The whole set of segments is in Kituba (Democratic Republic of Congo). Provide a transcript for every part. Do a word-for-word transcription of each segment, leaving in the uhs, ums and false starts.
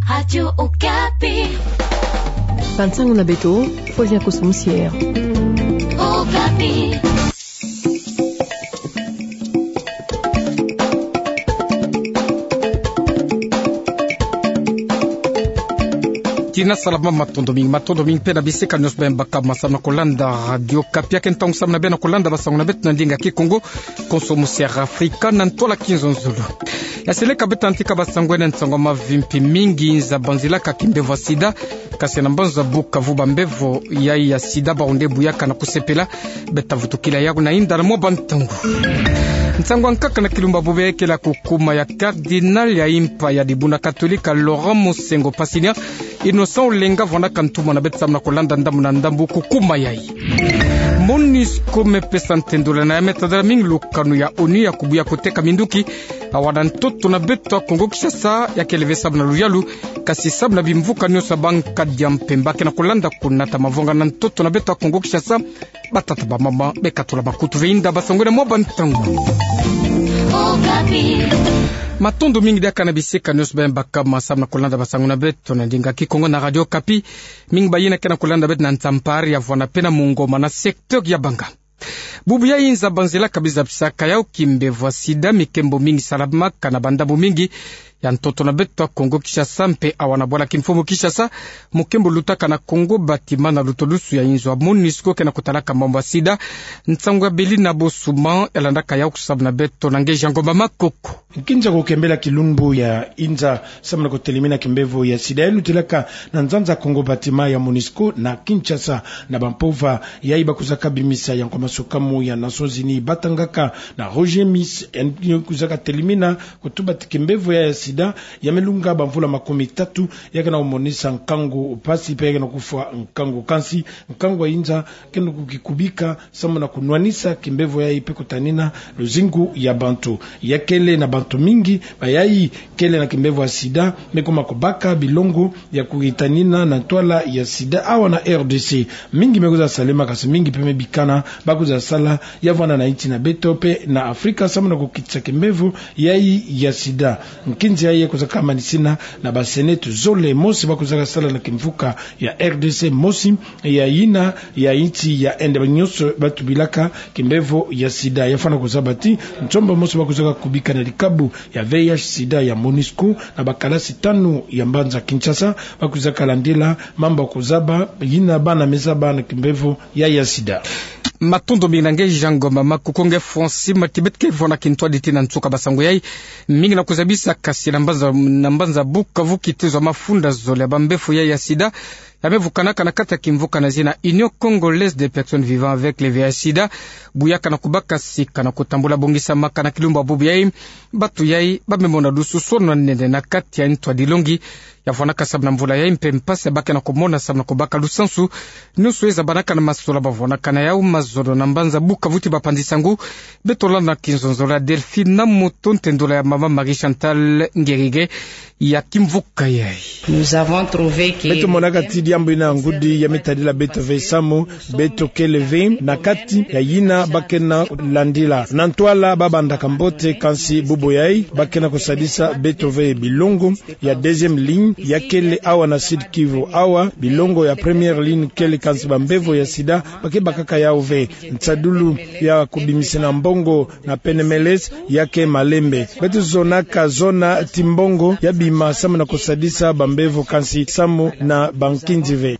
Radio Okapi. Bansango na beto, Faustin Koso Musier. Okapi. Tina salama, matondo mingi, matondo mingi mpe na bisika nyonso bima baka masamu na kolanda Radio Okapi. Ya ke ntangu samu na bê na kolanda basango na beto na ndinga Kikongo, Koso Musier Afrika, na ntwala kizonzolo. Ya seleka beto na tika basango ena, nsango mavimpi mingi: inza banzilaka kimbevo ya sida, kasi na mbanza Bukavu bambevo yayi ya sida bawu nde buyaka na kusepela. Beta vutukila yawu na inda na mwa bantangu. Nsangu ya nkaka na kilumbu bubu yayi kele kukuma ya cardinal ya impa ya dibundu katolika, Laurent Monsengwo Pasilia Innocent Olenga, vwanaka ntumwa na beto samu na kolanda ndambu na ndambu kukuma yayi. MONUSCO mepesa ntendola na ya metadala mingi lukanu ya ONU ya kubuya koteka minduki awa na ntoto na beto ya Kongo Kinshasa, ya kele ve samu na luyalu, kasi samu na bimvuka nyonso ya bankadi ya mpemba. Ke na kolanda kunata mavanga na ntoto na beto ya Kongo Kinshasa, batata, bamama, bekatula makutu ve inda basango ena mwa bantangu. Okapi. Matondo mingi diaka na bisika nyonso bima baka masamu na kolanda basango na beto na ndinga Kikongo na Radio Okapi. Mingi bayina ke na kolanda beto na Nzampare, ya vwana mpe na Mungoma na secteur ya Banga. Bubu yayi inza banzilaka biza bisaka yawu kimbevo ya sida, mikembo mingi salamaka na bandambu mingi ya ntoto na beto ya Kongo Kinshasa mpe awa na bwala kimfumu Kinshasa. Mukembo lutaka na Congo Bâtiment na lutulusu ya inzo ya MONUSCO ke na kutalaka mambu ya sida. Nsangu ya Belina Bosuma ya landaka yawu samu na beto na nge Jean Ngomba Makoko. Nkinza kukembela kilumbu ya inza samu na kutelimina kimbevo ya sida, ya lutilaka na nzanza Congo Bâtiment ya MONUSCO na Kinshasa, na bampova yayi bakuzaka bimisa ya nkwa masukamu ya Nations Unies batangaka na Roger Miss, yayi kuzaka telimina kutuba ti kimbevo ya, ya sida ya melunga bamvula makumi tatu, ya ke na kumonisa nkangu mpasi mpe ya ke na kufwa nkangu. Kansi nkangu ya inza ke na kukikubika samu na kunwanisa kimbevo yayi mpe kutanina luzingu ya bantu. Ya kele na bantu mingi bayayi kele na kimbevo ya sida, me kuma kubaka bilongo ya kukitanina na ntwala ya sida awa na R D C. Mingi me kwiza salema, kasi mingi mpe me bikana ba kwiza sala, ya vwana na insi na beto mpe na Afrika, samu na kukitisa kimbevo yayi ya sida. Nkinzi yayi kuzaka manisina na ba sœnette zole, mosi ba kuzaka sala na kimvuka ya R D C, mosi ya yina ya insi ya Inde. Ba nyonso ba tubilaka kimbevo ya sida. Ya fwana kuzaba ti nsomba mosi ba kuzaka kubika na dikabu ya V I H sida ya MONUSCO na bakalasi tanu ya mbanza Kinshasa, ba kuzaka landila mambu ya kuzaba yina bana me zaba na kimbevo ya, ya sida. Matondo mingi na nge Jean Ngomba Makoko. Nge Francis Matibet ke vwana kintwadi ti na nsuka basango yayi. Mingi na kuzabisa, kasi na mbanza, na mbanza Bukavu kitezo ya mafunda zole ya bambevo ya, ya sida ya me vukanaka na kati ya kimvuka na zina Union Congolaise des Personnes Vivant avec le V I H sida, buyaka na kubaka sika na kutambula bongisamaka na kilumbu bubu yayi. Bantu yayi ba me mona lususu na nene na kati ya ntu ya dilongi. Ya vwanaka samu na mvula yayi mpe mpasi ya ba ke na kumona samu na kubaka lusansu. Nyonso yayi zabanaka na mazola ba vwanaka na yawu mazono na mbanza Bukavu ti bapanzi-nsangu. Beto landa na kinzonzolo ya Delphine Namoto, ntendola ya mama Marie Chantal Ngerige ya kimvuka yayi. Nous avons trouvé que... Beto monaka ti diambu yina ya ngudi ya me tadila beto ve samu beto kele ve na kati ya yina ba ke na landila. Na ntwala ba bandaka mbote, kansi bubu yayi ba ke na kusadisa beto ve. Bilongo ya deuxième ligne ya kele awa na Sud-Kivu. Awa bilongo ya première ligne kele, kansi bambevo ya sida ba ke bakaka yawu ve. Nsadulu ya kubimisina mbongo na pneu mélesse ya ke malembe. Beto zonaka zona ti mbongo ya bima samu na kusadisa bambevo, kansi samu na bankinzi ve.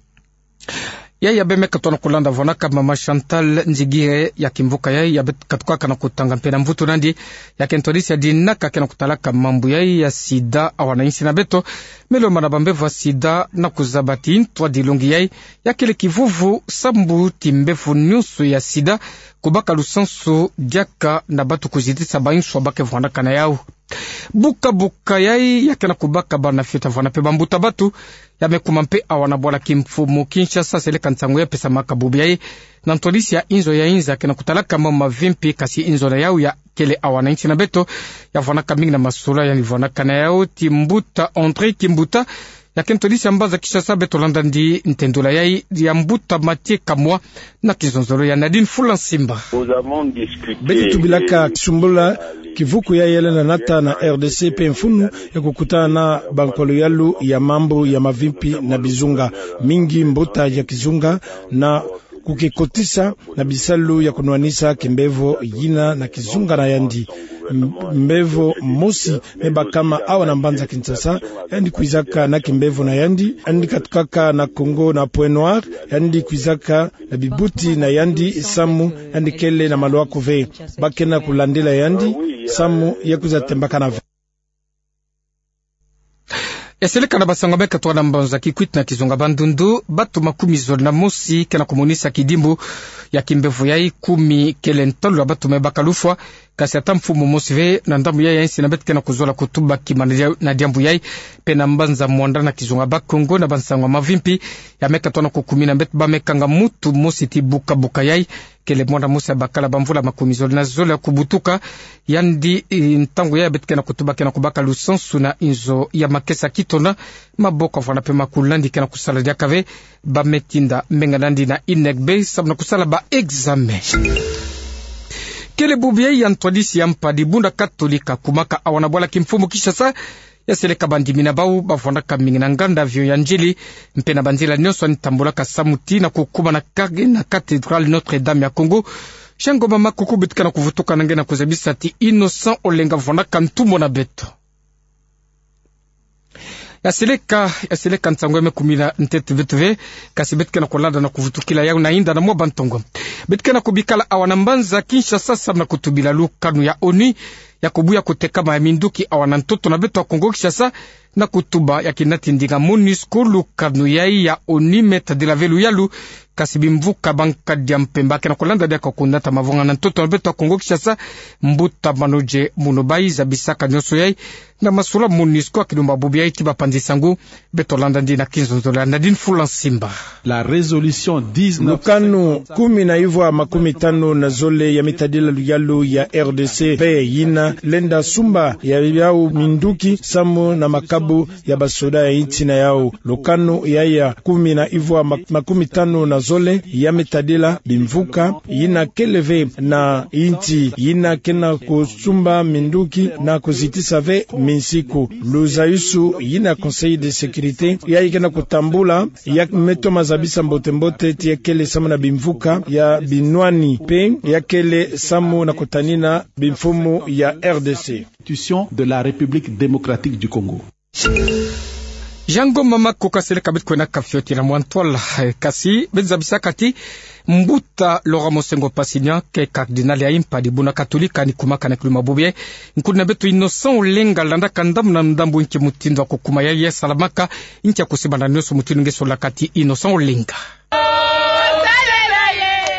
Yayi ya bê me katuka na kulanda, vwanaka mama Chantal Nzigire ya kimvuka yayi, ya bê katukaka na kutanga mpe na mvutu nandi ya kintwadisi ya dinaka ke na kutalaka mambu yayi ya sida awa na insi na beto. Me lomba na bambevo ya sida na kuzaba ti ntu ya dilongi yayi ya kele kivuvu sambu ti mbevo nyonso ya sida kubaka lusansu diaka na bantu kuzitisa banswa ba ke vwanaka na yawu. Buka-buka yayi ya ke na kubaka bana fioti ya vwana mpe bambuta-bantu, ya me kuma mpe awa na bwala kimfumu Kinshasa. Seleka nsangu ya pesamaka bubu yayi na ntwadisi ya inzo ya inza ke na kutalaka mama Vimpi, kasi inzo na yawu ya kele awa na insi na beto ya vwanaka mingi na masolo, ya ni vwanaka na yawu ti mbuta André Kimbuta, ya kento disi ya mbanza Kinshasa, beto landa ndi ntendola yai ya mbuta Mathieu Kamwa na kizonzolo ya Nadine Fulansimba. Beti tubilaka sumbula kivuku yai yalenda nata na R D C pe mfunu ya kukutana na bankolo yalu ya mambu ya mavimpi na bizunga. Mingi mbuta ya kizunga na kukikotisa na bisalu ya kunwanisa kimbevo yina na kizunga na yandi. M-, mbevo mosi me bakama awa na mbanza Kinshasa, yandi kwizaka na kimbevo na yandi, yandi katukaka na Kongo na Pointe-Noire, yandi kwizaka na bibuti na yandi samu yandi kele na maluaku ve. Ba ke na kulandila yandi samu ya kwiza tembakana ve. Ya seleka na basango ya meka twa na mbanza Kikwit na kizunga Bandundu, bato makumi zole na mosi ke na kumonisa kidimbu ya kimbevo yai, kumi kele ntalu ya bato me baka lufwa, kasi ata mfumu mosi ve na ndambu yai ya insi na beto ke na kuzola kutuba kima na dia-, na diambu yai. Pe na mbanza Muanda na kizunga Bas-Congo, na bansango ya mavimpi ya meka twa na kukumina, beto bamekanga mutu mosi ti buka-buka yai, kele mwana mosi ya bakala bamvula makumi zole na zole ya kubutuka, yandi, eh, ntangu yai beto ke na kutuba ke na kubaka lusansu na inzo ya makesa, kitona maboko avwanda pe makulun'andi ke na kusala diaka ve. Ba me tinda menga nandi na INEGB samu na kusala ba examen. Kele bubu yai ya ntwadisi ya mpadi buna Katolika kumaka awa na bwala kimfumu Kinshasa, ya seleka bandimi na bau bavwandaka mingi na nganda avion ya Ndjili, mpe na banzila nyonso yandi tambulaka samu ti na kukuma na kage na cathédrale Notre-Dame ya Congo. Jean Ngoma Makuku beto ke na kuvutuka na nge na kuzabisa ti Innocent Olenga vwandaka ntumwa na beto. Ya seleka, ya seleka nsangu ya me kumina ntete beto ve, kasi beto ke na kulanda na kuvutukila yau na inda na mwa bantongo. Beto ke na kubikala awa na mbanza Kinshasa samu na kutubila lukanu ya ONU ya kubuya kutekama ya minduki awa na ntoto na beto ya Kongo Kinshasa, na kutuba ya kinati ndinga MONUSCO. Lukanu yai ya ONU me tadila ve luyalu, kasi bimvuka ba nkadi ya mpemba ke na kulanda diaka kunata mavanga na ntoto na beto ya Kongo Kinshasa. Mbuta Manodje Munubai zabisaka nyonso yai na masula MONUSCO. Akilumba bubu yai ti bapanzi nsangu, beto landa ndi na kinzonzolo ya Nadine Fulansimba. La résolution dix-neuf cinquante-cinq. Lukanu kumi na ivwa makumi tanu na zole ya me tadila luyalu ya R D C, pe yina lenda sumba ya yau minduki samu na makabu ya basoda ya insi na yau. Lukanu yai ya kumi na ivwa mak-, makumi tanu na zole ya me tadila bimvuka yina kele ve na insi yina ke na kusumba minduki na kuzitisa ve minsiku. Luzayusu yina Conseil de sécurité yai ke na kutambula ya me toma zabisa mbote-mbote ti ya kele samu na bimvuka ya binwani pe ya kele samu na kutanina bimfumu ya R D C. Constitution de la République démocratique du Congo. Jean Ngoma Makuku, ka seleka beto kwenda kafioti na mwa ntwala, eh, kasi beto zabisaka ti Mbuta Laurent Monsengwo Passignan ke cardinal ya mpadi buna Katolika ni kumaka na kilumbu ya bubu yai. Nkuna beto Innocent Olenga landaka ndambu na ndambu nki mutindu ya kukuma yai, ya salamaka, nki ya kusimbana nyonso mutindu nge solaka ti Innocent Olenga.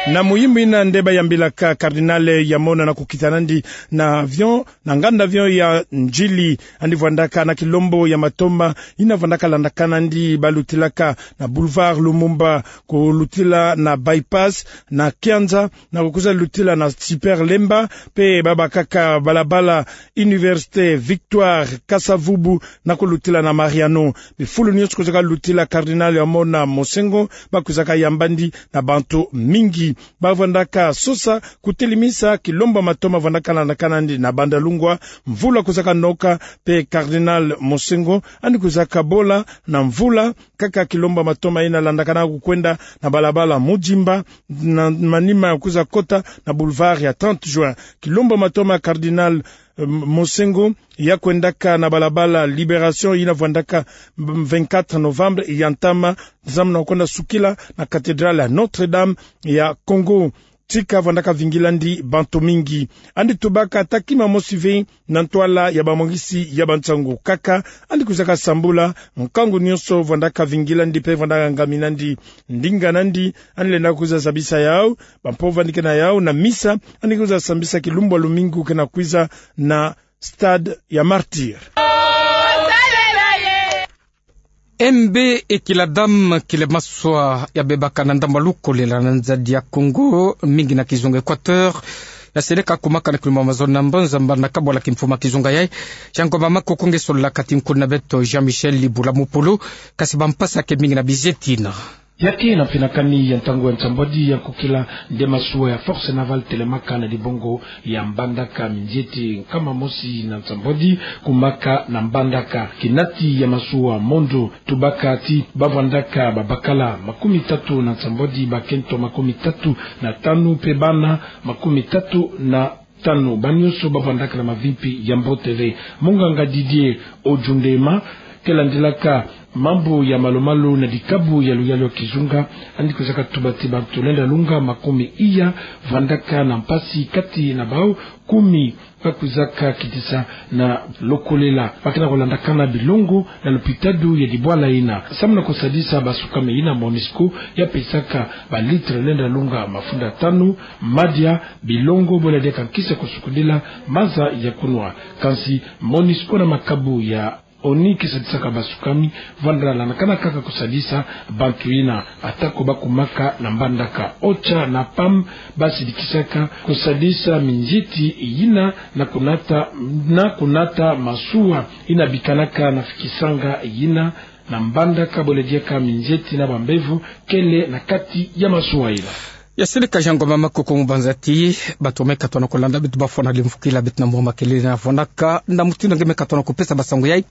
Na muyimu yina nde bayambilaka cardinal ya mona na kukita nandi na avion, na nganda avion ya Ndjili, yandi vwandaka na kilombo ya matoma yina vwandaka landakana ndi balutilaka na boulevard Lumumba, kulutila na Bypass, na Kianza, na kukwiza lutila na Super Lemba, pe babakaka balabala Université Victoire Kasa-Vubu, na kulutila na Mariano. Bifulu nyonso kwizaka lutila cardinal ya mona Monsengwo, bakwizaka yamba ndi na bantu mingi. Bavwandaka sosa kutelimisa kilombo matoma vwandaka landakana ndi na Bandalungwa, mvula kwizaka noka, pe cardinal Monsengwo yandi kwizaka bola na mvula, kaka kilombo matoma yina landakana kukwenda na balabala Mudjimba, na manima kwiza kota na boulevard ya trente juin. Kilombo matoma cardinal, eh, Monsengwo ya kwendaka na balabala Libération yina vwandaka, mm, vingt-quatre novembre ya ntama, samu na kwenda sukila na cathédrale ya Notre-Dame ya Congo. Tika vwandaka vingila ndi bantu mingi. Yandi tubaka ata kima mosi ve na ntwala ya bamwangisi ya bansangu, kaka yandi kwizaka sambula nkangu nyonso vwandaka vingila ndi pe vwandaka ngamina ndi. Ndinga nandi yandi lenda kwiza zabisa yau, bampovwa yandi ke na yau na misa yandi kwiza sambisa kilumbu ya lumingu ke na kwiza na Stade ya Martyrs. Mbe Ekiladam, kile maswa ya bebaka na ndambu ya lukolela na nzadi ya Congo, mingi na kizunga Équateur, Yaseleka kumaka na kilumbu mazono na mbanza mbana kabwala kimfuma kizunga yayi. Yangoma Makuku nge solaka ti nkuna beto Jean-Michel Libula Mupulu. Kasi bampasi ya kemingi na bizetina. Yake na mfinakani ya ntangu ya nsambwadi ya nkokila nde masuwa ya Force Navale telemaka na dibongo ya Mbandaka, minzieti nkama mosi na nsambwadi kumaka na Mbandaka. Kinati ya masuwa mondo tubaka ti bavwandaka babakala makumi tatu na nsambwadi, bakento makumi tatu na tanu, mpe bana makumi tatu na tanu, banyonso bavwandaka na mavimpi ya mbote ve. Monganga Didier Odjundema, ke landilaka mambu ya malu-malu na dikabu ya luyalu ya kizunga, yandi kwizaka tuba ti bantu lenda lunga makumi iya vwandaka na mpasi, kati na bawu kumi bakwizaka kitisa na lokolela. Bakina kulandakana bilongo na lopitadi ya dibwala yina. Samu na kusadisa basukami yina, MONUSCO ya pesaka balitre lenda lunga mafunda tanu madia, bilongo, bole diaka nkisi ya kusukudila, maza ya kunwa. Kansi MONUSCO na makabu ya ONU ke sadisaka basukami, vwanda landakana kaka kusadisa bantu yina. Atako bakumaka na Mbandaka, OCHA na PAM basidikisaka kusadisa minzieti yina na kunata, na kunata masuwa yina bikanaka na fikisanga yina na Mbandaka, bole diaka minzieti na bambevo kele na kati ya masuwa yina. Yaseleka Yangoma Makuku mu banza ti bato me katona kulanda, beto bafwana limvukila beto na mwa makelele na fwanaka na mutindu nge me katona kupesa basango yayi.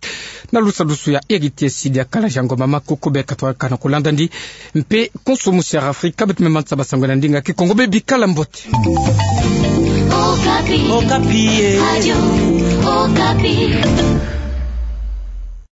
Na lusadusu ya Heritier Sidi, akala Yangoma Makuku, be katona kulanda ndi, mpe konso musi ya Afrika, beto me manisa basango na ndinga Kikongo. Be bikala mbote. Okapi. Okapi, eh. Radio Okapi.